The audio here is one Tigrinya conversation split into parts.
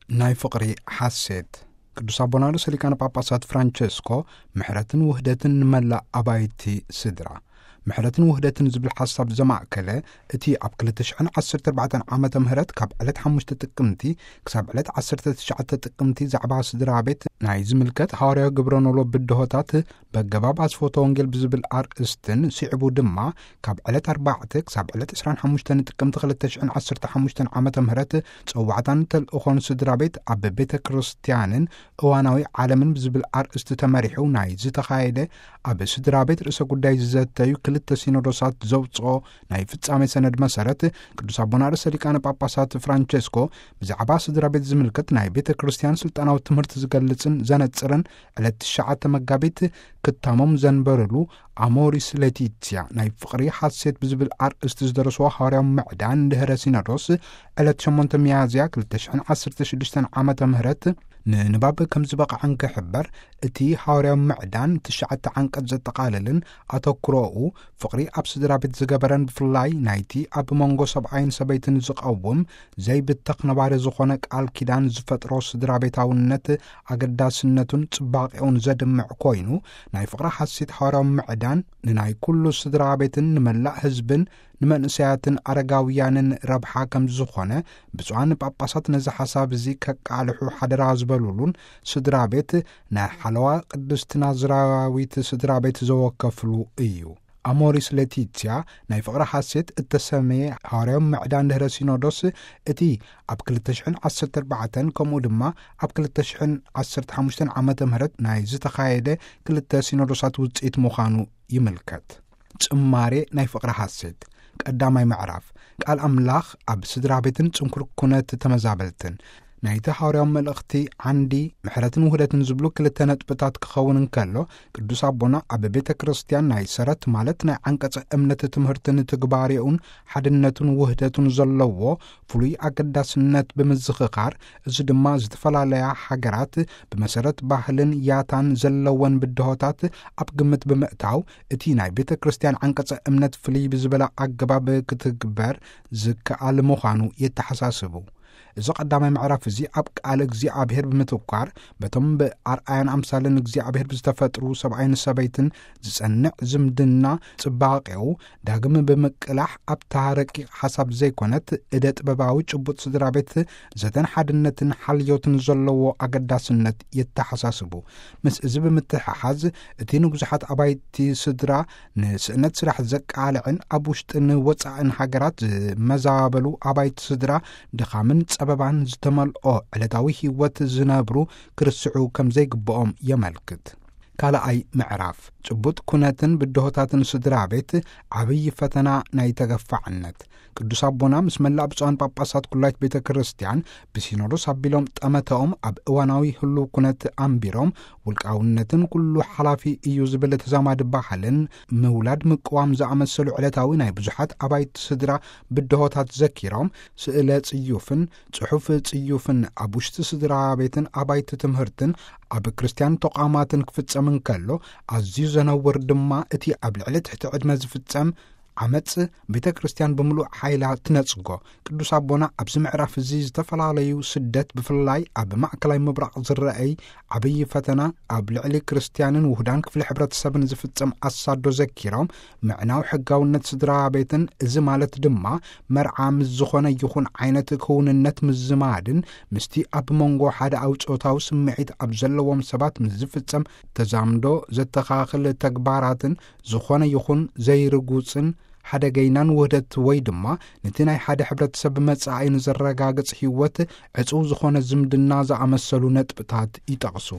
ናይ ፍቕሪ ሓሴት። ቅዱስ ኣቦና ርእሰ ሊቃነ ጳጳሳት ፍራንቸስኮ፣ ምሕረትን ውህደትን ንመላእ ኣባይቲ ስድራ። ምሕረትን ውህደትን ዝብል ሓሳብ ዘማእከለ፣ እቲ ኣብ ክልተ ሽሕን ዓሰርተ ኣርባዕተን ዓመተ ምህረት ካብ ዕለት ሓሙሽተ ጥቅምቲ ክሳብ ዕለት ዓሰርተ ትሽዓተ ጥቅምቲ ዛዕባ ስድራ ቤት ናይ ዝምልከት ሃዋርያዊ ግብረ ኖሎ ብድሆታት በገባብ ኣስፎተ ወንጌል ብዝብል ኣርእስትን፣ ስዒቡ ድማ ካብ ዕለት ኣርባዕተ ክሳብ ዕለት ዕስራን ሓሙሽተን ጥቅምቲ ክልተ ሽሕን ዓሰርተ ሓሙሽተን ዓመተ ምህረት ጸዋዕታን ተልእኾን ስድራ ቤት ኣብ ቤተ ክርስቲያንን እዋናዊ ዓለምን ብዝብል ኣርእስቲ ተመሪሑ ናይ ዝተኻየደ፣ ኣብ ስድራ ቤት ርእሰ ጉዳይ ዝዘተዩ ክልተ ሲኖዶሳት ዘውጽኦ ናይ ፍጻሜ ሰነድ መሰረት፣ ቅዱስ ኣቦና ርእሰ ሊቃነ ጳጳሳት ፍራንቸስኮ ብዛዕባ ስድራ ቤት ዝምልከት ናይ ቤተ ክርስቲያን ስልጣናዊ ትምህርቲ ዝገልጽን ዘነጽርን ዕለት ትሽዓተ መጋቢት ክታሞም ዘንበርሉ፣ ኣሞሪስ ሌቲትያ ናይ ፍቕሪ ሓሴት ብዝብል ኣርእስቲ ዝደረስዎ ሃዋርያዊ ምዕዳን ድህረ ሲኖዶስ፣ ዕለት ሸሞንተ ሚያዝያ ክልተ ሽሕን ዓሰርተ ሽዱሽተን ዓመተ ምህረት ንንባብ ከም ዝበቕዐን ክሕበር፣ እቲ ሃዋርያዊ ምዕዳን ትሽዓተ ዓንቀጽ ዘጠቓልልን፣ ኣተኩሮኡ ፍቕሪ ኣብ ስድራ ቤት ዝገበረን፣ ብፍላይ ናይቲ ኣብ መንጎ ሰብኣይን ሰበይትን ዝቐውም ዘይብተኽ ነባሪ ዝኾነ ቃል ኪዳን ዝፈጥሮ ስድራ ቤታውነት ኣገዳስነቱን ጽባቄኡን ዘድምዕ ኮይኑ፣ ናይ ፍቕሪ ሓሴት ሃዋርያዊ ምዕዳን ንናይ ኩሉ ስድራ ቤትን ንመላእ ህዝብን ንመንእሰያትን ኣረጋውያንን ረብሓ ከም ዝኾነ፣ ብፁዓን ጳጳሳት ነዚ ሓሳብ እዚ ከቃልሑ ሓደራ ዝበሉሉን፣ ስድራ ቤት ናይ ሓለዋ ቅድስቲ ናዝራዊት ስድራ ቤት ዘወከፍሉ እዩ። ኣሞሪስ ሌቲትያ ናይ ፍቕሪ ሓሴት እተሰመየ ሃዋርያዊ ምዕዳን ድህረ ሲኖዶስ፣ እቲ ኣብ ክልተ ሽሕን ዓሰርተ ኣርባዕተን ከምኡ ድማ ኣብ ክልተ ሽሕን ዓሰርተ ሓሙሽተን ዓመተ ምህረት ናይ ዝተኻየደ ክልተ ሲኖዶሳት ውጽኢት ምዃኑ ይምልከት። ጽማሬ ናይ ፍቕሪ ሓሴት። ቀዳማይ ምዕራፍ። ቃል ኣምላኽ ኣብ ስድራ ቤትን ጽንኩር ኩነት ተመዛበልትን። ናይቲ ሃዋርያዊ መልእኽቲ ዓንዲ ምሕረትን ውህደትን ዝብሉ ክልተ ነጥብታት ክኸውን እንከሎ፣ ቅዱስ ኣቦና ኣብ ቤተ ክርስቲያን ናይ ሰረት፣ ማለት ናይ ዓንቀጸ እምነት ትምህርትን ትግባሬኡን ሓድነቱን ውህደቱን ዘለዎ ፍሉይ ኣገዳስነት ብምዝኽኻር፣ እዚ ድማ ዝተፈላለያ ሃገራት ብመሰረት ባህልን ያታን ዘለወን ብድሆታት ኣብ ግምት ብምእታው፣ እቲ ናይ ቤተ ክርስቲያን ዓንቀጸ እምነት ፍልይ ብዝበለ ኣገባብ ክትግበር ዝከኣል ምዃኑ የተሓሳስቡ። እዚ ቀዳማይ ምዕራፍ እዚ ኣብ ቃል እግዚኣብሔር ብምትኳር፣ በቶም ብኣርኣያን ኣምሳልን እግዚኣብሔር ብዝተፈጥሩ ሰብኣይን ሰበይትን ዝጸንዕ ዝምድና ጽባቄኡ ዳግም ብምቅላሕ፣ ኣብታ ረቂቕ ሓሳብ ዘይኮነት እደ ጥበባዊ ጭቡጥ ስድራ ቤት ዘተን ሓድነትን ሓልዮትን ዘለዎ ኣገዳስነት የተሓሳስቡ። ምስ እዚ ብምትሕሓዝ፣ እቲ ንብዙሓት ኣባይቲ ስድራ ንስእነት ስራሕ ዘቃልዕን ኣብ ውሽጥን ወጻእን ሃገራት ዝመዛበሉ ኣባይቲ ስድራ ድኻምን ጸበባን ዝተመልኦ ዕለታዊ ህይወት ዝነብሩ ክርስዑ ከም ዘይግብኦም የመልክት። ካልኣይ ምዕራፍ። ጭቡጥ ኩነትን ብድሆታትን ስድራ ቤት፣ ዓብዪ ፈተና ናይ ተገፋዕነት። ቅዱስ ኣቦና ምስ መላእ ብፁዓን ጳጳሳት ኩላይት ቤተ ክርስቲያን ብሲኖዶስ ኣቢሎም ጠመተኦም ኣብ እዋናዊ ህሉው ኩነት ኣንቢሮም፣ ውልቃውነትን ኩሉ ሓላፊ እዩ ዝብል ተዛማዲ ባህልን ምውላድ ምቅዋም ዝኣመሰሉ ዕለታዊ ናይ ብዙሓት ኣባይቲ ስድራ ብድሆታት ዘኪሮም፣ ስእለ ጽዩፍን ጽሑፍ ጽዩፍን ኣብ ውሽጢ ስድራ ቤትን ኣባይቲ ትምህርትን ኣብ ክርስቲያን ተቋማትን ክፍጸም እንከሎ፣ ኣዝዩ ዘነውር ድማ እቲ ኣብ ልዕሊ ትሕቲ ዕድመ ዝፍጸም ዓመጽ ቤተ ክርስቲያን ብምሉእ ሓይላ ትነጽጎ። ቅዱስ ኣቦና ኣብዚ ምዕራፍ እዚ ዝተፈላለዩ ስደት፣ ብፍላይ ኣብ ማእከላይ ምብራቕ ዝረኣይ ዓብዪ ፈተና፣ ኣብ ልዕሊ ክርስቲያንን ውሁዳን ክፍሊ ሕብረተሰብን ዝፍጸም ኣሳዶ ዘኪሮም፣ ምዕናው ሕጋውነት ስድራ ቤትን፣ እዚ ማለት ድማ መርዓ ምስ ዝኾነ ይኹን ዓይነት ክውንነት ምዝማድን፣ ምስቲ ኣብ መንጎ ሓደ ኣውጾታዊ ስምዒት ኣብ ዘለዎም ሰባት ምስ ዝፍጸም ተዛምዶ ዘተኻኽል ተግባራትን፣ ዝኾነ ይኹን ዘይርጉጽን ሓደገይናን ውህደት ወይ ድማ ነቲ ናይ ሓደ ሕብረተሰብ መጻኢ ንዘረጋግጽ ህይወት ዕጹው ዝኾነ ዝምድና ዝኣመሰሉ ነጥብታት ይጠቕሱ።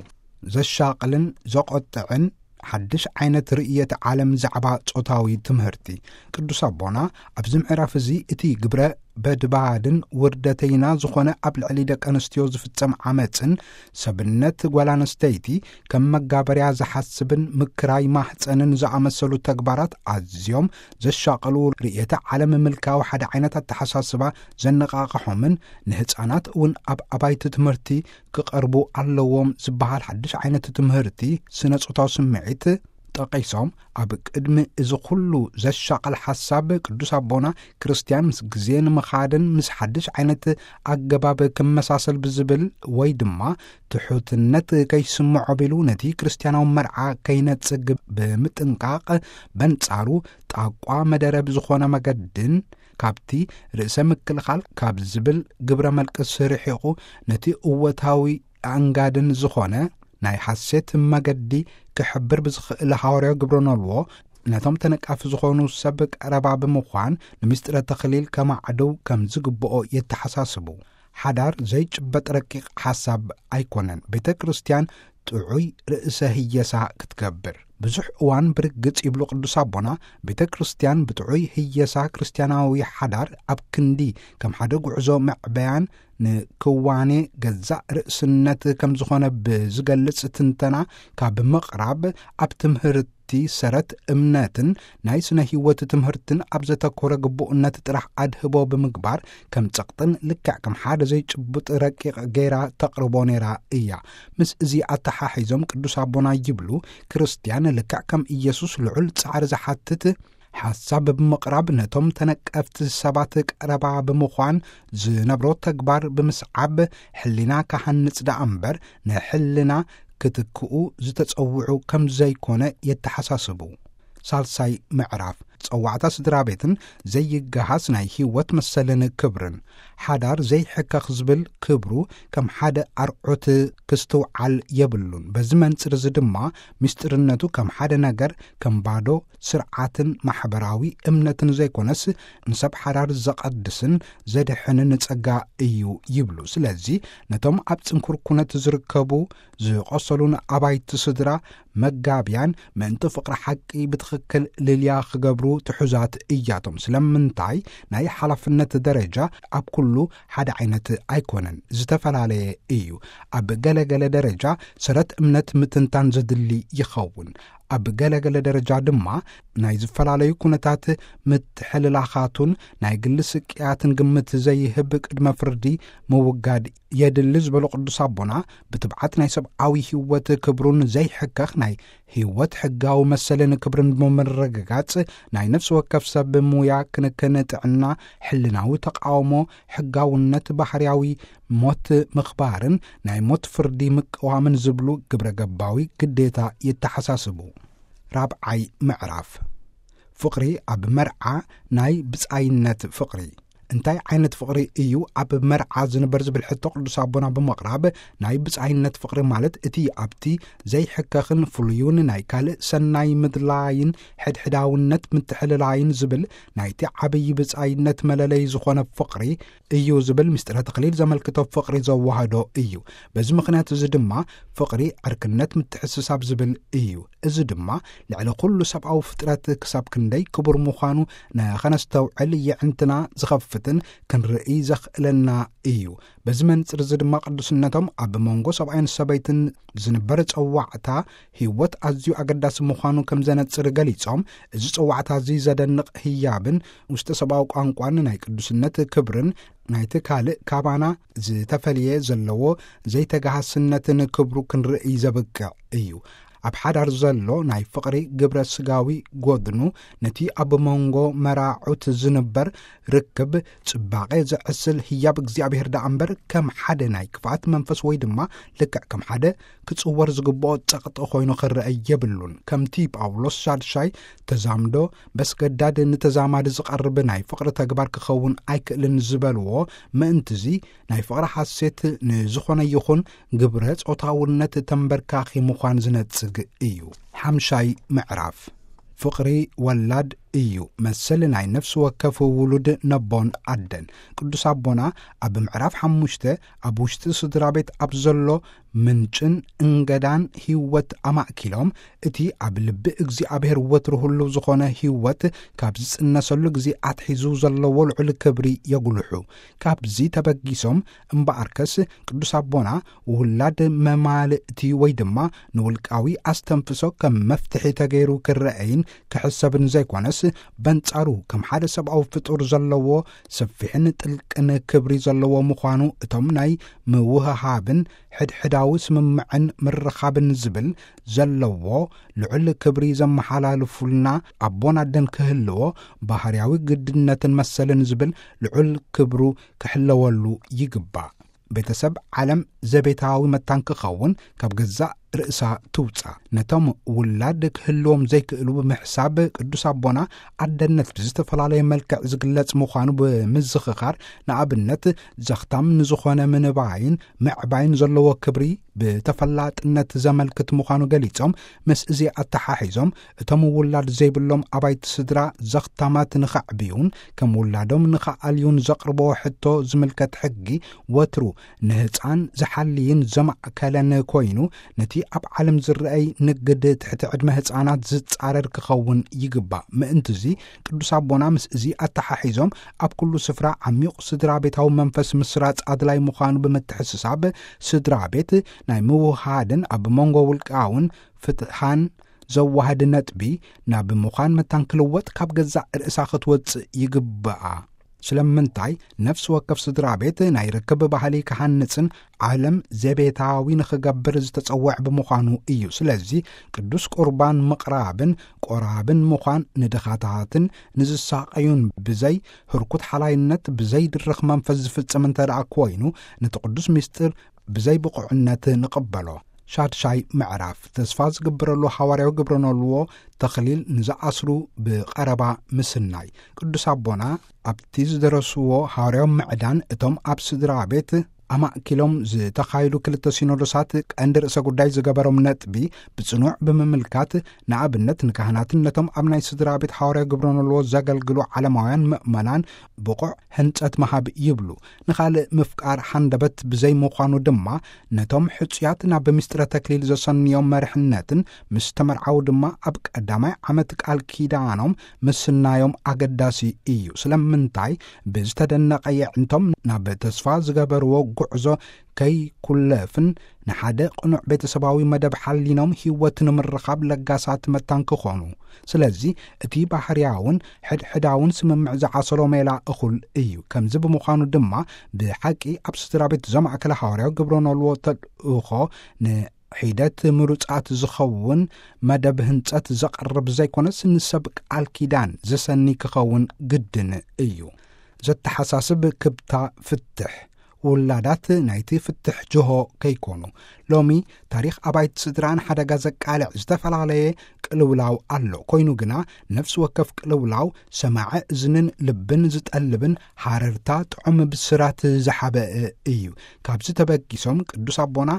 ዘሻቕልን ዘቖጥዕን ሓድሽ ዓይነት ርእየት ዓለም ዛዕባ ጾታዊ ትምህርቲ። ቅዱስ ኣቦና ኣብዚ ምዕራፍ እዚ እቲ ግብረ በድባድን ውርደተይና ዝኾነ ኣብ ልዕሊ ደቂ ኣንስትዮ ዝፍጸም ዓመጽን ሰብነት ጓል ኣንስተይቲ ከም መጋበርያ ዝሓስብን ምክራይ ማህጸንን ዝኣመሰሉ ተግባራት ኣዝዮም ዘሻቕሉ፣ ርእየተ ዓለም ምልካዊ ሓደ ዓይነት ኣተሓሳስባ ዘነቓቕሖምን ንህጻናት እውን ኣብ ኣባይቲ ትምህርቲ ክቐርቡ ኣለዎም ዝበሃል ሓድሽ ዓይነት ትምህርቲ ስነ ጾታዊ ስምዒት ጠቒሶም፣ ኣብ ቅድሚ እዚ ኩሉ ዘሻቐል ሓሳብ ቅዱስ ኣቦና ክርስትያን ምስ ግዜ ንምኻድን ምስ ሓድሽ ዓይነት ኣገባብ ክመሳሰል ብዝብል ወይ ድማ ትሑትነት ከይስምዖ ቢሉ ነቲ ክርስትያናዊ መርዓ ከይነጽግ ብምጥንቃቕ በንጻሩ ጣቋ መደረ ብዝኾነ መገድን ካብቲ ርእሰ ምክልኻል ካብ ዝብል ግብረ መልቅስ ርሒቑ ነቲ እወታዊ ኣንጋድን ዝኾነ ናይ ሓሴት መገዲ ክሕብር ብዝኽእል ሃዋርያዊ ግብረ ነልዎ ነቶም ተነቃፊ ዝኾኑ ሰብ ቀረባ ብምዃን ንምስጢረ ተኽሊል ከማዕደው ከም ዝግብኦ የተሓሳስቡ። ሓዳር ዘይጭበጥ ረቂቕ ሓሳብ ኣይኮነን። ቤተ ክርስትያን ጥዑይ ርእሰ ህየሳ ክትገብር ብዙሕ እዋን ብርግጽ ይብሉ ቅዱስ ኣቦና፣ ቤተ ክርስትያን ብጥዑይ ህየሳ ክርስትያናዊ ሓዳር ኣብ ክንዲ ከም ሓደ ጉዕዞ መዕበያን ንክዋኔ ገዛእ ርእስነት ከም ዝኾነ ብዝገልጽ ትንተና ካብ ምቕራብ፣ ኣብ ትምህርቲ ሰረት እምነትን ናይ ስነ ህይወት ትምህርትን ኣብ ዘተኮረ ግቡእነት ጥራሕ ኣድህቦ ብምግባር ከም ጸቕጥን ልክዕ ከም ሓደ ዘይጭቡጥ ረቂቕ ገይራ ተቕርቦ ነይራ እያ። ምስ እዚ ኣተሓሒዞም ቅዱስ ኣቦና ይብሉ፣ ክርስትያን ልክዕ ከም ኢየሱስ ልዑል ጻዕሪ ዝሓትት ሓሳብ ብምቕራብ ነቶም ተነቀፍቲ ሰባት ቀረባ ብምዃን ዝነብሮ ተግባር ብምስዓብ ሕሊና ክሃንጽ ደኣ እምበር ንሕልና ክትክኡ ዝተጸውዑ ከም ዘይኮነ የተሓሳስቡ። ሳልሳይ ምዕራፍ ጸዋዕታ ስድራ ቤትን ዘይገሃስ ናይ ህይወት መሰልን ክብርን። ሓዳር ዘይሕከኽ ዝብል ክብሩ ከም ሓደ ኣርዑት ክስትውዓል የብሉን። በዚ መንጽር እዚ ድማ ምስጢርነቱ ከም ሓደ ነገር ከም ባዶ ስርዓትን ማሕበራዊ እምነትን ዘይኮነስ ንሰብ ሓዳር ዘቐድስን ዘድሕንን ጸጋ እዩ ይብሉ። ስለዚ ነቶም ኣብ ጽንኩር ኩነት ዝርከቡ ዝቆሰሉን ኣባይቲ ስድራ መጋብያን ምእንቲ ፍቕሪ ሓቂ ብትኽክል ልልያ ክገብሩ ትሑዛት እያቶም። ስለምንታይ ናይ ሓላፍነት ደረጃ ኣብ ኩሉ ሓደ ዓይነት ኣይኮነን፣ ዝተፈላለየ እዩ። ኣብ ገለገለ ደረጃ ሰረት እምነት ምትንታን ዘድሊ ይኸውን። ኣብ ገለገለ ደረጃ ድማ ናይ ዝተፈላለዩ ኩነታት ምትሕልላኻቱን ናይ ግሊ ስቅያትን ግምት ዘይህብ ቅድመ ፍርዲ ምውጋድ የድሊ ዝበሉ ቅዱስ ኣቦና፣ ብትብዓት ናይ ሰብኣዊ ህይወት ክብሩን ዘይሕከኽ ናይ ህይወት ሕጋዊ መሰልን ክብርን ብምርግጋጽ፣ ናይ ነፍሲ ወከፍ ሰብ ሙያ ክንክን ጥዕና፣ ሕልናዊ ተቃውሞ፣ ሕጋውነት ባህርያዊ ሞት ምኽባርን ናይ ሞት ፍርዲ ምቅዋምን ዝብሉ ግብረ ገባዊ ግዴታ የተሓሳስቡ። ራብዓይ ምዕራፍ ፍቕሪ ኣብ መርዓ ናይ ብጻይነት ፍቕሪ። እንታይ ዓይነት ፍቕሪ እዩ ኣብ መርዓ ዝንበር ዝብል ሕቶ ቅዱስ ኣቦና ብምቕራብ፣ ናይ ብጻይነት ፍቕሪ ማለት እቲ ኣብቲ ዘይሕከኽን ፍሉዩን ናይ ካልእ ሰናይ ምድላይን ሕድሕዳውነት ምትሕልላይን ዝብል ናይቲ ዓብዪ ብጻይነት መለለይ ዝኾነ ፍቕሪ እዩ ዝብል ምስጢረ ተኽሊል ዘመልክቶ ፍቕሪ ዘዋህዶ እዩ። በዚ ምኽንያት እዚ ድማ ፍቕሪ ዕርክነት ምትሕስሳብ ዝብል እዩ። እዚ ድማ ልዕሊ ኩሉ ሰብኣዊ ፍጥረት ክሳብ ክንደይ ክቡር ምዃኑ ንኸነስተውዕል የዕንትና ዝኸፍትን ክንርኢ ዘኽእለና እዩ። በዚ መንጽር እዚ ድማ ቅዱስነቶም ኣብ መንጎ ሰብኣይን ሰበይትን ዝንበር ጸዋዕታ ህይወት ኣዝዩ ኣገዳሲ ምዃኑ ከም ዘነጽር ገሊጾም፣ እዚ ጸዋዕታ እዚ ዘደንቕ ህያብን ውሽጠ ሰብኣዊ ቋንቋን ናይ ቅዱስነት ክብርን ናይቲ ካልእ ካባና ዝተፈልየ ዘለዎ ዘይተጋሃስነትን ክብሩ ክንርኢ ዘብቅዕ እዩ። ኣብ ሓዳር ዘሎ ናይ ፍቕሪ ግብረ ስጋዊ ጎድኑ ነቲ ኣብ መንጎ መራዑት ዝንበር ርክብ ጽባቐ ዘዕስል ህያብ እግዚኣብሔር ደኣ እምበር ከም ሓደ ናይ ክፍኣት መንፈስ ወይ ድማ ልክዕ ከም ሓደ ክጽወር ዝግብኦ ጸቕጢ ኮይኑ ክረአ የብሉን። ከምቲ ጳውሎስ ሻድሻይ ተዛምዶ በስገዳድ ንተዛማዲ ዝቐርብ ናይ ፍቕሪ ተግባር ክኸውን ኣይክእልን ዝበልዎ፣ ምእንትዚ ናይ ፍቕሪ ሓሴት ንዝኾነ ይኹን ግብረ ጾታውነት ተንበርካኺ ምዃን ዝነጽግ እዩ። ሓምሻይ ምዕራፍ ፍቕሪ ወላድ እዩ መሰል ናይ ነፍሲ ወከፍ ውሉድ ነቦን ኣደን። ቅዱስ ኣቦና ኣብ ምዕራፍ ሓሙሽተ ኣብ ውሽጢ ስድራ ቤት ኣብ ዘሎ ምንጭን እንገዳን ህይወት ኣማእኪሎም፣ እቲ ኣብ ልቢ እግዚኣብሔር ወትሩ ህሉው ዝኾነ ህይወት ካብ ዝጽነሰሉ ግዜ ኣትሒዙ ዘለዎ ልዑል ክብሪ የጉልሑ። ካብዚ ተበጊሶም እምበኣርከስ ቅዱስ ኣቦና ውላድ መማልእቲ ወይ ድማ ንውልቃዊ ኣስተንፍሶ ከም መፍትሒ ተገይሩ ክረአይን ክሕሰብን ዘይኮነስ፣ በንጻሩ ከም ሓደ ሰብኣዊ ፍጡር ዘለዎ ሰፊሕን ጥልቅን ክብሪ ዘለዎ ምዃኑ፣ እቶም ናይ ምውህሃብን ሕድሕዳዊ ስምምዕን ምርኻብን ዝብል ዘለዎ ልዑል ክብሪ ዘመሓላልፉልና ኣቦን ኣደን ክህልዎ፣ ባህርያዊ ግድነትን መሰልን ዝብል ልዑል ክብሩ ክሕለወሉ ይግባእ። ቤተሰብ ዓለም ዘቤታዊ መታን ክኸውን ካብ ገዛእ ርእሳ ትውጻእ። ነቶም ውላድ ክህልዎም ዘይክእሉ ብምሕሳብ፣ ቅዱስ ኣቦና ኣደነት ብዝተፈላለየ መልክዕ ዝግለጽ ምዃኑ ብምዝኽኻር፣ ንኣብነት፣ ዘኽታም ንዝኾነ ምንባይን ምዕባይን ዘለዎ ክብሪ ብተፈላጥነት ዘመልክት ምዃኑ ገሊጾም፣ ምስ እዚ ኣተሓሒዞም፣ እቶም ውላድ ዘይብሎም ኣባይቲ ስድራ ዘኽታማት ንኸዕብዩን ከም ውላዶም ንኸኣልዩን ዘቕርብዎ ሕቶ ዝምልከት ሕጊ ወትሩ ንህጻን ዝሓልይን ዘማእከለን ኮይኑ፣ ነቲ ኣብ ዓለም ዝረኣይ ንግድ ትሕቲ ዕድመ ህጻናት ዝጻረር ክኸውን ይግባእ። ምእንትዚ፣ ቅዱስ ኣቦና ምስ እዚ ኣተሓሒዞም፣ ኣብ ኩሉ ስፍራ ዓሚቕ ስድራ ቤታዊ መንፈስ ምስራጽ ኣድላይ ምዃኑ ብምትሕስሳብ፣ ስድራ ቤት ናይ ምውሃድን ኣብ መንጎ ውልቃውን ፍትሓን ዘዋህድ ነጥቢ ናብ ምዃን መታን ክልወጥ ካብ ገዛእ ርእሳ ክትወጽእ ይግብኣ። ስለምንታይ ነፍሲ ወከፍ ስድራ ቤት ናይ ርክብ ባህሊ ክሃንጽን ዓለም ዘቤታዊ ንኽገብር ዝተጸውዕ ብምዃኑ እዩ። ስለዚ ቅዱስ ቁርባን ምቕራብን ቆራብን ምዃን፣ ንድኻታትን ንዝሳቐዩን ብዘይ ህርኩት ሓላይነት፣ ብዘይ ድርኽ መንፈስ ዝፍጽም እንተ ደኣ ኮይኑ፣ ነቲ ቅዱስ ምስጢር ብዘይ ብቑዕነት ንቕበሎ። ሻድሻይ ምዕራፍ፣ ተስፋ ዝግበረሉ ሃዋርያዊ ግብረ ኖልዎ ተኽሊል ንዝኣስሩ ብቐረባ ምስናይ። ቅዱስ ኣቦና ኣብቲ ዝደረስዎ ሃዋርያዊ ምዕዳን፣ እቶም ኣብ ስድራ ቤት ኣማእኪሎም ዝተኻየዱ ክልተ ሲኖዶሳት ቀንዲ ርእሰ ጉዳይ ዝገበሮም ነጥቢ ብጽኑዕ ብምምልካት፣ ንኣብነት ንካህናትን ነቶም ኣብ ናይ ስድራ ቤት ሃዋርያዊ ግብረ ኖልዎ ዘገልግሉ ዓለማውያን ምእመናን ብቑዕ ህንጸት ምሃብ ይብሉ። ንኻልእ ምፍቃር ሃንደበት ብዘይ ምዃኑ ድማ፣ ነቶም ሕጹያት ናብ ምስጢረ ተክሊል ዘሰንዮም መርሕነትን ምስ ተመርዓዉ ድማ ኣብ ቀዳማይ ዓመት ቃል ኪዳኖም ምስናዮም ኣገዳሲ እዩ። ስለምንታይ? ብዝተደነቐ የዕንቶም ናብ ተስፋ ዝገበርዎ ጉዕዞ ከይኩለፍን ንሓደ ቅኑዕ ቤተሰባዊ መደብ ሓሊኖም ህይወት ንምርኻብ ለጋሳት መታን ክኾኑ። ስለዚ እቲ ባህርያውን ሕድሕዳውን ስምምዕ ዝዓሰሎ ሜላ እኹል እዩ። ከምዚ ብምዃኑ ድማ ብሓቂ ኣብ ስድራ ቤት ዘማእከለ ሃዋርያዊ ግብረ ኖልዎ ተልእኾ ንሒደት ምሩጻት ዝኸውን መደብ ህንጸት ዘቕርብ ዘይኮነስ ንሰብ ቃል ኪዳን ዘሰኒ ክኸውን ግድን እዩ። ዘተሓሳስብ ክብታ ፍትሕ ውላዳት ናይቲ ፍትሕ ጅሆ ከይኮኑ። ሎሚ ታሪኽ ኣባይቲ ስድራ ንሓደጋ ዘቃልዕ ዝተፈላለየ ቅልውላው ኣሎ። ኮይኑ ግና ነፍሲ ወከፍ ቅልውላው ሰማዒ እዝንን ልብን ዝጠልብን ሃረርታ ጥዑም ብስራት ዝሓበአ እዩ። ካብዚ ተበጊሶም ቅዱስ ኣቦና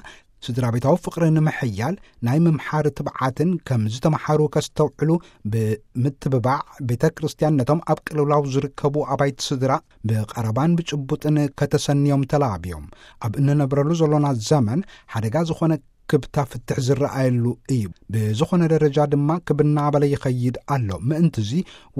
ስድራ ቤታዊ ፍቕሪ ንምሕያል ናይ ምምሓር ትብዓትን ከም ዝተምሓሩ ከስተውዕሉ ብምትብባዕ ቤተ ክርስቲያን ነቶም ኣብ ቅልውላው ዝርከቡ ኣባይቲ ስድራ ብቐረባን ብጭቡጥን ከተሰንዮም ተላብዮም። ኣብ እንነብረሉ ዘሎና ዘመን ሓደጋ ዝኾነ ክብታ ፍትሕ ዝረኣየሉ እዩ። ብዝኾነ ደረጃ ድማ ክብና በለ ይኸይድ ኣሎ። ምእንትዚ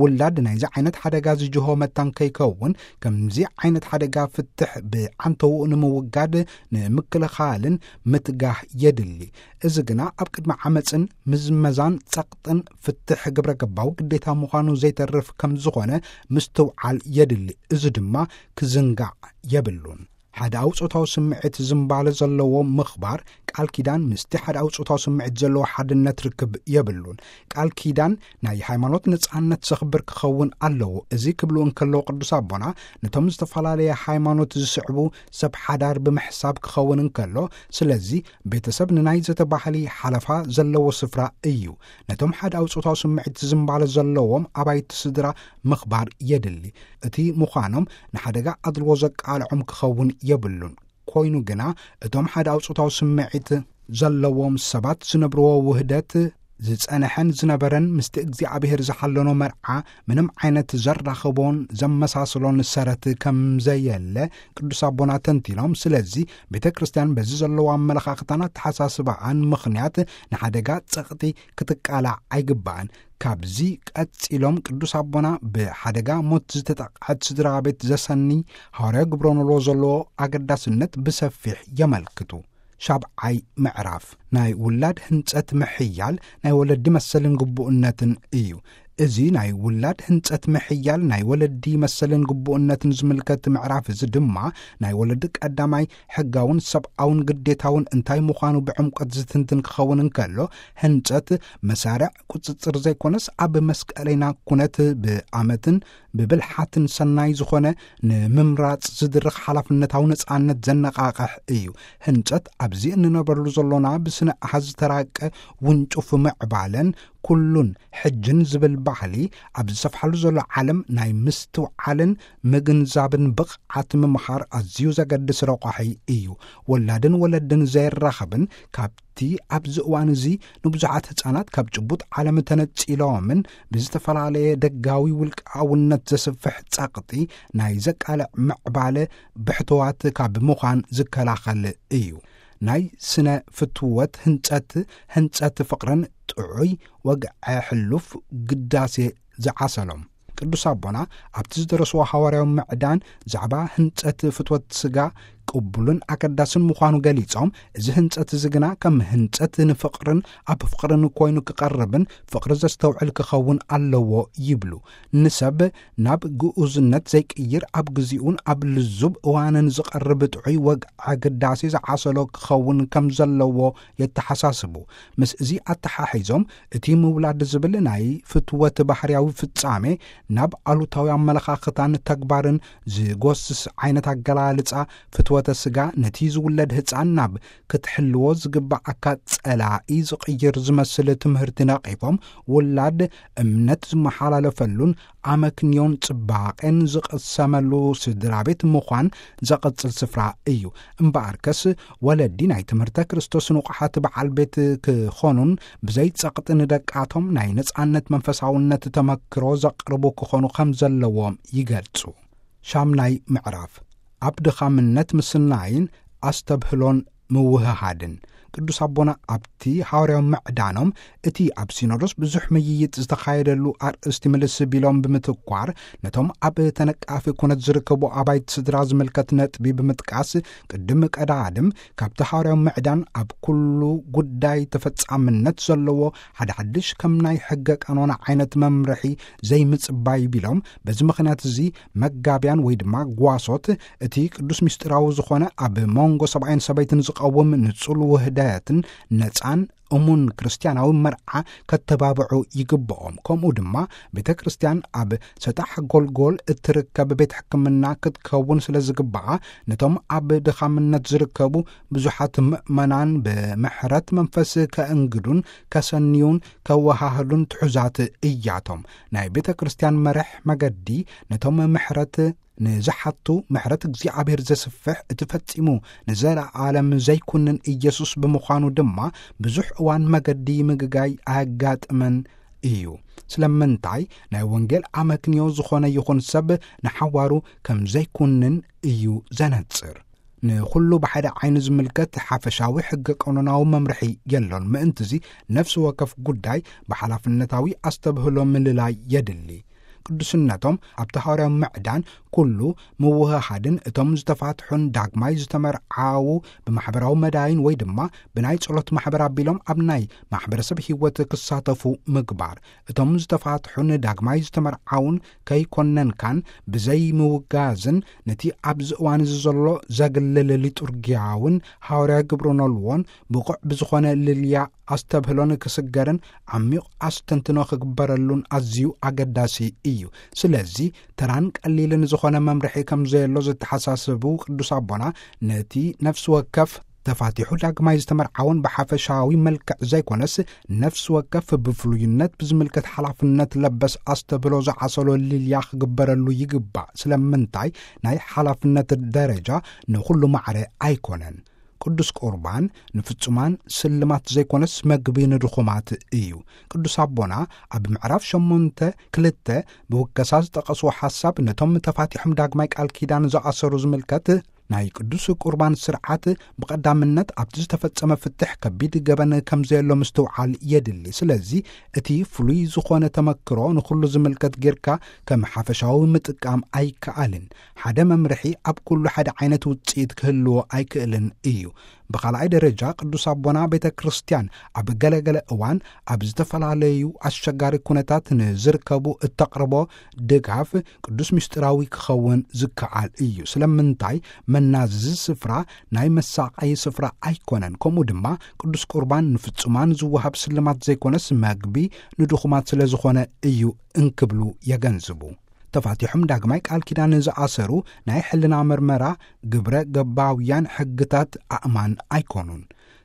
ውላድ ናይዚ ዓይነት ሓደጋ ዝጅሆ መታን ከይከውን፣ ከምዚ ዓይነት ሓደጋ ፍትሕ ብዓንተውኡ ንምውጋድ ንምክልኻልን ምትጋህ የድሊ። እዚ ግና ኣብ ቅድሚ ዓመፅን ምዝመዛን ጸቕጥን ፍትሕ ግብረ ገባዊ ግዴታ ምዃኑ ዘይተርፍ ከም ዝኾነ ምስትውዓል የድሊ። እዚ ድማ ክዝንጋዕ የብሉን። ሓድኣዊ ጾታዊ ስምዒት ዝምባለ ዘለዎ ምኽባር ቃል ኪዳን ምስቲ ሓድኣዊ ጾታዊ ስምዒት ዘለዎ ሓድነት ርክብ የብሉን። ቃል ኪዳን ናይ ሃይማኖት ነጻነት ዘኽብር ክኸውን ኣለዎ። እዚ ክብሉ እንከለዉ ቅዱስ ኣቦና ነቶም ዝተፈላለየ ሃይማኖት ዝስዕቡ ሰብ ሓዳር ብምሕሳብ ክኸውን እንከሎ፣ ስለዚ ቤተሰብ ንናይ ዘተ ባህሊ ሓለፋ ዘለዎ ስፍራ እዩ። ነቶም ሓድኣዊ ጾታዊ ስምዒት ዝምባለ ዘለዎም ኣባይቲ ስድራ ምኽባር የድሊ። እቲ ምዃኖም ንሓደጋ ኣድልዎ ዘቃልዖም ክኸውን የብሉን። ኮይኑ ግና እቶም ሓድኣዊ ጾታዊ ስምዒት ዘለዎም ሰባት ዝነብርዎ ውህደት ዝጸንሐን ዝነበረን ምስቲ እግዚኣብሔር ዝሓለኖ መርዓ ምንም ዓይነት ዘራኽቦን ዘመሳስሎን ሰረት ከም ዘየለ ቅዱስ ኣቦና ተንቲኖም። ስለዚ ቤተ ክርስቲያን በዚ ዘለዎ ኣመለኻኽታን ኣተሓሳስባኣን ምኽንያት ንሓደጋ ጸቕጢ ክትቃላዕ ኣይግባእን። ካብዚ ቀጺሎም ቅዱስ ኣቦና ብሓደጋ ሞት ዝተጠቕዐት ስድራ ቤት ዘሰኒ ሃዋርያዊ ግብረ ኖልዎ ዘለዎ ኣገዳስነት ብሰፊሕ የመልክቱ። ሻብዓይ ምዕራፍ ናይ ውላድ ህንጸት ምሕያል ናይ ወለዲ መሰልን ግቡእነትን እዩ። እዚ ናይ ውላድ ህንጸት ምሕያል ናይ ወለዲ መሰልን ግቡእነትን ዝምልከት ምዕራፍ እዚ ድማ ናይ ወለዲ ቀዳማይ ሕጋውን ሰብኣውን ግዴታውን እንታይ ምዃኑ ብዕምቆት ዝትንትን ክኸውን እንከሎ፣ ህንጸት መሳርዕ ቁጽጽር ዘይኮነስ ኣብ መስቀለይና ኩነት ብኣመትን ብብልሓትን ሰናይ ዝኾነ ንምምራጽ ዝድርኽ ሓላፍነታዊ ነጻነት ዘነቓቕሕ እዩ። ህንጸት ኣብዚ እንነብረሉ ዘሎና ብስነ ኣሃዝ ዝተራቀ ውንጩፍ ምዕባለን ኩሉን ሕጅን ዝብል ባህሊ ኣብ ዝሰፍሓሉ ዘሎ ዓለም ናይ ምስትውዓልን ምግንዛብን ብቕዓት ምምሃር ኣዝዩ ዘገድስ ረቋሒ እዩ። ወላድን ወለድን ዘይራኸብን ካብቲ ኣብዚ እዋን እዚ ንብዙሓት ህጻናት ካብ ጭቡጥ ዓለም ተነጺሎምን ብዝተፈላለየ ደጋዊ ውልቃውነት ዘስፍሕ ጸቕጢ ናይ ዘቃልዕ ምዕባለ ብሕትዋት ካብ ምዃን ዝከላኸል እዩ። ናይ ስነ ፍትወት ህንጸት፣ ህንጸት ፍቕርን ጥዑይ ወግዐ ሕሉፍ ግዳሴ ዝዓሰሎም። ቅዱስ ኣቦና ኣብቲ ዝደረስዎ ሃዋርያዊ ምዕዳን ዛዕባ ህንጸት ፍትወት ስጋ ቅቡልን ኣገዳስን ምዃኑ ገሊጾም፣ እዚ ህንጸት እዚ ግና ከም ህንጸት ንፍቕርን ኣብ ፍቕርን ኮይኑ ክቐርብን ፍቕሪ ዘስተውዕል ክኸውን ኣለዎ ይብሉ። ንሰብ ናብ ግኡዝነት ዘይቅይር፣ ኣብ ግዚኡን ኣብ ልዙብ እዋንን ዝቐርብ ጥዑይ ወግዐ ግዳሴ ዝዓሰሎ ክኸውን ከም ዘለዎ የተሓሳስቡ። ምስ እዚ ኣተሓሒዞም፣ እቲ ምውላድ ዝብል ናይ ፍትወት ባህርያዊ ፍጻሜ ናብ ኣሉታዊ ኣመለኻኽታን ተግባርን ዝጎስስ ዓይነት ኣገላልጻ ፍትወተ ስጋ፣ ነቲ ዝውለድ ህጻን ናብ ክትሕልዎ ዝግባኣካ ጸላኢ ዝቕይር ዝመስል ትምህርቲ ነቒፎም፣ ውላድ እምነት ዝመሓላለፈሉን ኣመክንዮን ጽባቐን ዝቕሰመሉ ስድራ ቤት ምዃን ዘቐጽል ስፍራ እዩ። እምበኣርከስ፣ ወለዲ ናይ ትምህርተ ክርስቶስ ንቑሓት በዓል ቤት ክኾኑን ብዘይ ጸቕጢ ንደቃቶም ናይ ነጻነት መንፈሳውነት ተመክሮ ዘቕርቡ ክኾኑ ከም ዘለዎም ይገልጹ። ሻምናይ ምዕራፍ፣ ኣብ ድኻምነት ምስናይን ኣስተብህሎን ምውህሃድን። ቅዱስ ኣቦና ኣብቲ ሃዋርያዊ ምዕዳኖም፣ እቲ ኣብ ሲኖዶስ ብዙሕ ምይይጥ ዝተኻየደሉ ኣርእስቲ ምልስ ቢሎም ብምትኳር፣ ነቶም ኣብ ተነቃፊ ኩነት ዝርከቡ ኣባይቲ ስድራ ዝምልከት ነጥቢ ብምጥቃስ፣ ቅድም ቀዳድም ካብቲ ሃዋርያዊ ምዕዳን ኣብ ኩሉ ጉዳይ ተፈጻምነት ዘለዎ ሓደ ሓድሽ ከም ናይ ሕገ ቀኖና ዓይነት መምርሒ ዘይምጽባይ ቢሎም፣ በዚ ምኽንያት እዚ መጋብያን ወይ ድማ ጓሶት እቲ ቅዱስ ምስጢራዊ ዝኾነ ኣብ መንጎ ሰብኣይን ሰበይትን ዝቐውም ንጹል ውህደትን ነጻን እሙን ክርስትያናዊ መርዓ ከተባብዑ ይግብኦም። ከምኡ ድማ ቤተ ክርስቲያን ኣብ ሰጣሕ ጎልጎል እትርከብ ቤት ሕክምና ክትከውን ስለ ዝግብኣ፣ ነቶም ኣብ ድኻምነት ዝርከቡ ብዙሓት ምእመናን ብምሕረት መንፈስ ከእንግዱን ከሰንዩን ከወሃህሉን ትሑዛት እያቶም። ናይ ቤተ ክርስቲያን መርሕ መገዲ ነቶም ምሕረት ንዝሓቱ ምሕረት እግዚኣብሔር ዘስፍሕ፣ እቲ ፈጺሙ ንዘለዓለም ዘይኩንን ኢየሱስ ብምዃኑ ድማ ብዙሕ እዋን መገዲ ምግጋይ ኣያጋጥመን እዩ። ስለምንታይ? ናይ ወንጌል ኣመክንዮ ዝኾነ ይኹን ሰብ ንሓዋሩ ከም ዘይኩንን እዩ ዘነጽር። ንኹሉ ብሓደ ዓይኒ ዝምልከት ሓፈሻዊ ሕገ ቀኖናዊ መምርሒ የሎን። ምእንትዚ ነፍሲ ወከፍ ጉዳይ ብሓላፍነታዊ ኣስተብህሎ ምልላይ የድሊ። ቅዱስነቶም ኣብቲ ሃዋርያዊ ምዕዳን ኩሉ ምውህሃድን እቶም ዝተፋትሑን ዳግማይ ዝተመርዓዉ ብማሕበራዊ መዳይን ወይ ድማ ብናይ ጸሎት ማሕበር ኣቢሎም ኣብ ናይ ማሕበረሰብ ህይወት ክሳተፉ ምግባር። እቶም ዝተፋትሑን ዳግማይ ዝተመርዓዉን ከይኮነንካን ብዘይ ምውጋዝን ነቲ ኣብዚ እዋን እዚ ዘሎ ዘግልል ሊጡርጊያውን ሃዋርያዊ ግብረ ኖልዎን ብቑዕ ብዝኾነ ልልያ ኣስተብህሎን ክስገርን ዓሚቕ ኣስተንትኖ ክግበረሉን ኣዝዩ ኣገዳሲ እዩ። ስለዚ ተራን ቀሊልን ዝኾነ መምርሒ ከም ዘየሎ ዘተሓሳስቡ ቅዱስ ኣቦና፣ ነቲ ነፍሲ ወከፍ ተፋቲሑ ዳግማይ ዝተመርዓውን ብሓፈሻዊ መልክዕ ዘይኮነስ፣ ነፍሲ ወከፍ ብፍሉይነት ብዝምልከት ሓላፍነት ለበስ ኣስተብህሎ ዝዓሰሎ ልልያ ክግበረሉ ይግባእ። ስለምንታይ? ናይ ሓላፍነት ደረጃ ንኹሉ ማዕረ ኣይኮነን። ቅዱስ ቁርባን ንፍጹማን ስልማት ዘይኮነስ መግቢ ንድኹማት እዩ። ቅዱስ ኣቦና ኣብ ምዕራፍ ሸሞንተ ክልተ ብውከሳ ዝጠቐስዎ ሓሳብ ነቶም ተፋቲሖም ዳግማይ ቃል ኪዳን ዝኣሰሩ ዝምልከት፣ ናይ ቅዱስ ቁርባን ስርዓት ብቐዳምነት ኣብቲ ዝተፈጸመ ፍትሕ ከቢድ ገበን ከም ዘየሎ ምስትውዓል የድሊ። ስለዚ እቲ ፍሉይ ዝኾነ ተመክሮ ንኹሉ ዝምልከት ጌርካ ከም ሓፈሻዊ ምጥቃም ኣይከኣልን። ሓደ መምርሒ ኣብ ኩሉ ሓደ ዓይነት ውጽኢት ክህልዎ ኣይክእልን እዩ። ብኻልኣይ ደረጃ፣ ቅዱስ ኣቦና ቤተ ክርስቲያን ኣብ ገለገለ እዋን ኣብ ዝተፈላለዩ ኣሸጋሪ ኩነታት ንዝርከቡ እተቕርቦ ድጋፍ ቅዱስ ምስጢራዊ ክኸውን ዝከኣል እዩ። ስለምንታይ? መናዝዚ ስፍራ ናይ መሳቐዪ ስፍራ ኣይኮነን። ከምኡ ድማ ቅዱስ ቁርባን ንፍጹማን ዝወሃብ ስልማት ዘይኮነስ፣ መግቢ ንድኹማት ስለ ዝኾነ እዩ እንክብሉ የገንዝቡ። ተፋቲሖም ዳግማይ ቃል ኪዳን ዝኣሰሩ ናይ ሕልና መርመራ ግብረ ገባውያን ሕግታት ኣእማን ኣይኮኑን።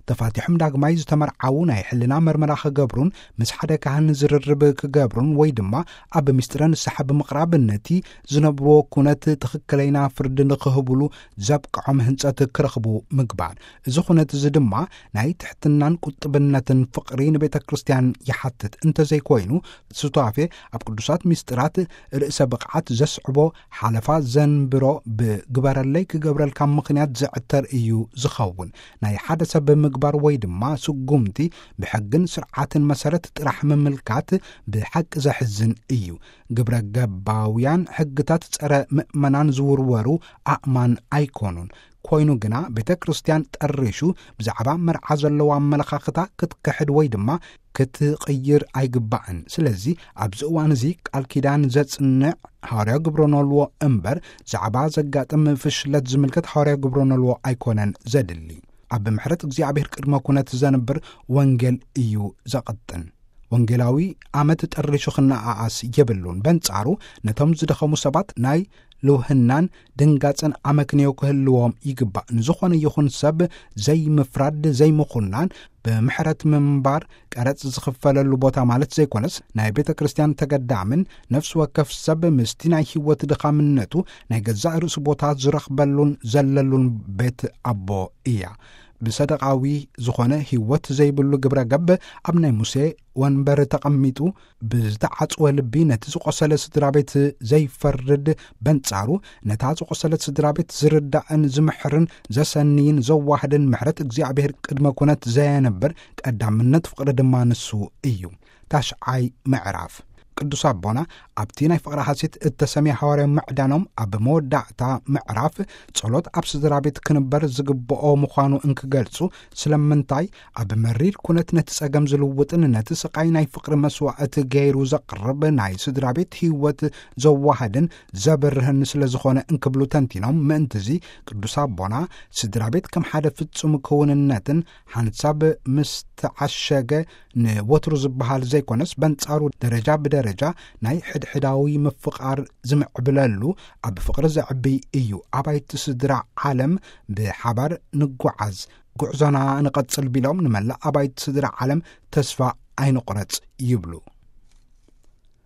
ተፋቲሖም ዳግማይ ዝተመርዓዉ ናይ ሕልና መርመራ ክገብሩን ምስ ሓደ ካህን ዝርርብ ክገብሩን ወይ ድማ ኣብ ምስጢረ ንስሓ ብምቕራብ ነቲ ዝነብርዎ ኩነት ትኽክለይና ፍርዲ ንክህብሉ ዘብቅዖም ህንጸት ክረኽቡ ምግባር። እዚ ኩነት እዚ ድማ ናይ ትሕትናን ቁጥብነትን ፍቕሪ ንቤተ ክርስቲያን ይሓትት። እንተዘይኮይኑ፣ ሱታፌ ኣብ ቅዱሳት ምስጢራት ርእሰ ብቕዓት ዘስዕቦ ሓለፋ ዘንብሮ ብግበረለይ ክገብረልካ ምኽንያት ዘዕተር እዩ ዝኸውን። ናይ ሓደ ሰብ ምግባር ወይ ድማ ስጉምቲ ብሕግን ስርዓትን መሰረት ጥራሕ ምምልካት ብሓቂ ዘሕዝን እዩ። ግብረ ገባውያን ሕግታት ጸረ ምእመናን ዝውርወሩ ኣእማን ኣይኮኑን። ኮይኑ ግና ቤተ ክርስቲያን ጠሪሹ ብዛዕባ መርዓ ዘለዎ ኣመለኻኽታ ክትክሕድ ወይ ድማ ክትቕይር ኣይግባእን። ስለዚ ኣብዚ እዋን እዚ ቃል ኪዳን ዘጽንዕ ሃዋርያ ግብረ ኖልዎ እምበር፣ ዛዕባ ዘጋጥም ፍሽለት ዝምልከት ሃዋርያ ግብረ ኖልዎ ኣይኮነን ዘድሊ። ኣብ ምሕረት እግዚኣብሔር ቅድመ ኩነት ዘንብር ወንጌል እዩ ዘቐጥን። ወንጌላዊ ኣመት ጠሪሹ ክነኣኣስ የብሉን። በንጻሩ፣ ነቶም ዝደኸሙ ሰባት ናይ ልውህናን ድንጋጽን ኣመክንዮ ክህልዎም ይግባእ። ንዝኾነ ይኹን ሰብ ዘይምፍራድ፣ ዘይምኹናን፣ ብምሕረት ምንባር፣ ቀረጽ ዝኽፈለሉ ቦታ ማለት ዘይኮነስ፣ ናይ ቤተ ክርስቲያን ተገዳምን ነፍሲ ወከፍ ሰብ ምስቲ ናይ ህይወት ድኻምነቱ ናይ ገዛእ ርእሱ ቦታ ዝረኽበሉን ዘለሉን ቤት ኣቦ እያ። ብሰደቓዊ ዝኾነ ህይወት ዘይብሉ ግብረ ገብ ኣብ ናይ ሙሴ ወንበር ተቐሚጡ ብዝተዓጽወ ልቢ ነቲ ዝቖሰለ ስድራ ቤት ዘይፈርድ፣ በንጻሩ ነታ ዝቖሰለት ስድራ ቤት ዝርዳእን ዝምሕርን ዘሰንይን ዘዋህድን ምሕረት እግዚኣብሔር ቅድመ ኩነት ዘየንብር ቀዳምነት ፍቕሪ ድማ ንሱ እዩ። ታሽዓይ ምዕራፍ። ቅዱስ ኣቦና ኣብቲ ናይ ፍቕሪ ሐሴት እተሰምየ ሃዋርያዊ ምዕዳኖም ኣብ መወዳእታ ምዕራፍ ጸሎት ኣብ ስድራ ቤት ክንበር ዝግብኦ ምዃኑ እንክገልጹ፣ ስለምንታይ ኣብ መሪር ኩነት ነቲ ጸገም ዝልውጥን ነቲ ስቓይ ናይ ፍቕሪ መስዋዕቲ ገይሩ ዘቕርብ ናይ ስድራ ቤት ህይወት ዘዋህድን ዘብርህን ስለ ዝኾነ እንክብሉ ተንቲኖም፣ ምእንትዚ ቅዱስ ኣቦና ስድራ ቤት ከም ሓደ ፍጹም ክውንነትን ሓንሳብ ምስ ተዓሸገ ንወትሩ ዝበሃል ዘይኮነስ፣ በንጻሩ ደረጃ ብደረጃ ናይ ሕድሕዳዊ ምፍቓር ዝምዕብለሉ ኣብ ፍቕሪ ዘዕቢ እዩ። ኣባይቲ ስድራ ዓለም ብሓባር ንጓዓዝ፣ ጉዕዞና ንቐጽል ቢሎም ንመላእ ኣባይቲ ስድራ ዓለም ተስፋ ኣይንቑረጽ ይብሉ።